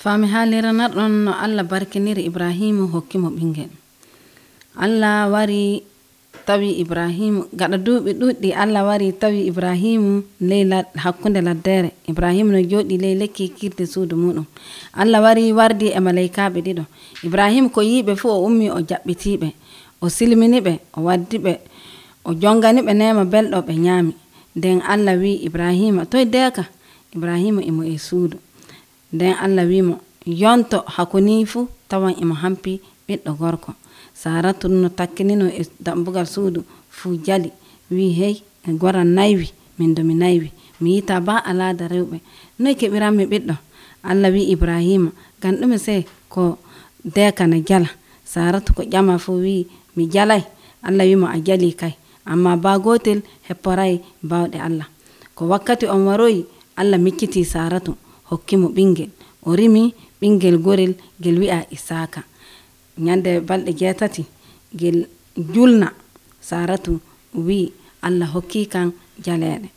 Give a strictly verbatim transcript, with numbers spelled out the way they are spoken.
Fami haliranarɗon no Allah barkiniri Ibrahimu hokkimo ɓingel. Allah wari tawi Ibrahimu gaɗa duuɓi ɗuɗɗi Allah wari tawi Ibrahimu ley lad hakkunde laddere. Ibrahimu no joɗi ley lekki kirde suudu muɗum. Allah wari wardi e malaikaɓe ɗiɗo. Ibrahimu ko yiɓe fu o ummi o jaɓɓitiɓe, o silminiɓe, o waddiɓe, o jonganiɓe nema belɗo ɓe ñaami. Nden Allah wi Ibrahima toye deka? Ibrahimu imo e suudu. Nden Allah wimo yonto hakoni fu tawan imo hampi ɓiɗɗo gorko. Saratu no takkinino e dambugal suudu fu jali wi hey e goran naywi min do mi naywi mi yita ba alada rewɓe noye keɓiranmi ɓiɗɗo? Allah wi Ibrahima ngam ɗume sey ko deka na jala. Saratu ko ƴama fu wi mi jalay. Allah wimo a jali kay amma ba gotel hepporay bawɗe Allah. Ko wakkati on waroyi Allah micciti Saratu hokkimo ɓingel. O rimi ɓingel gorel gel wi'a Isaka. Nyande balɗe jeetati gel julna Saratu wi Allah hokki kan jaleɗe.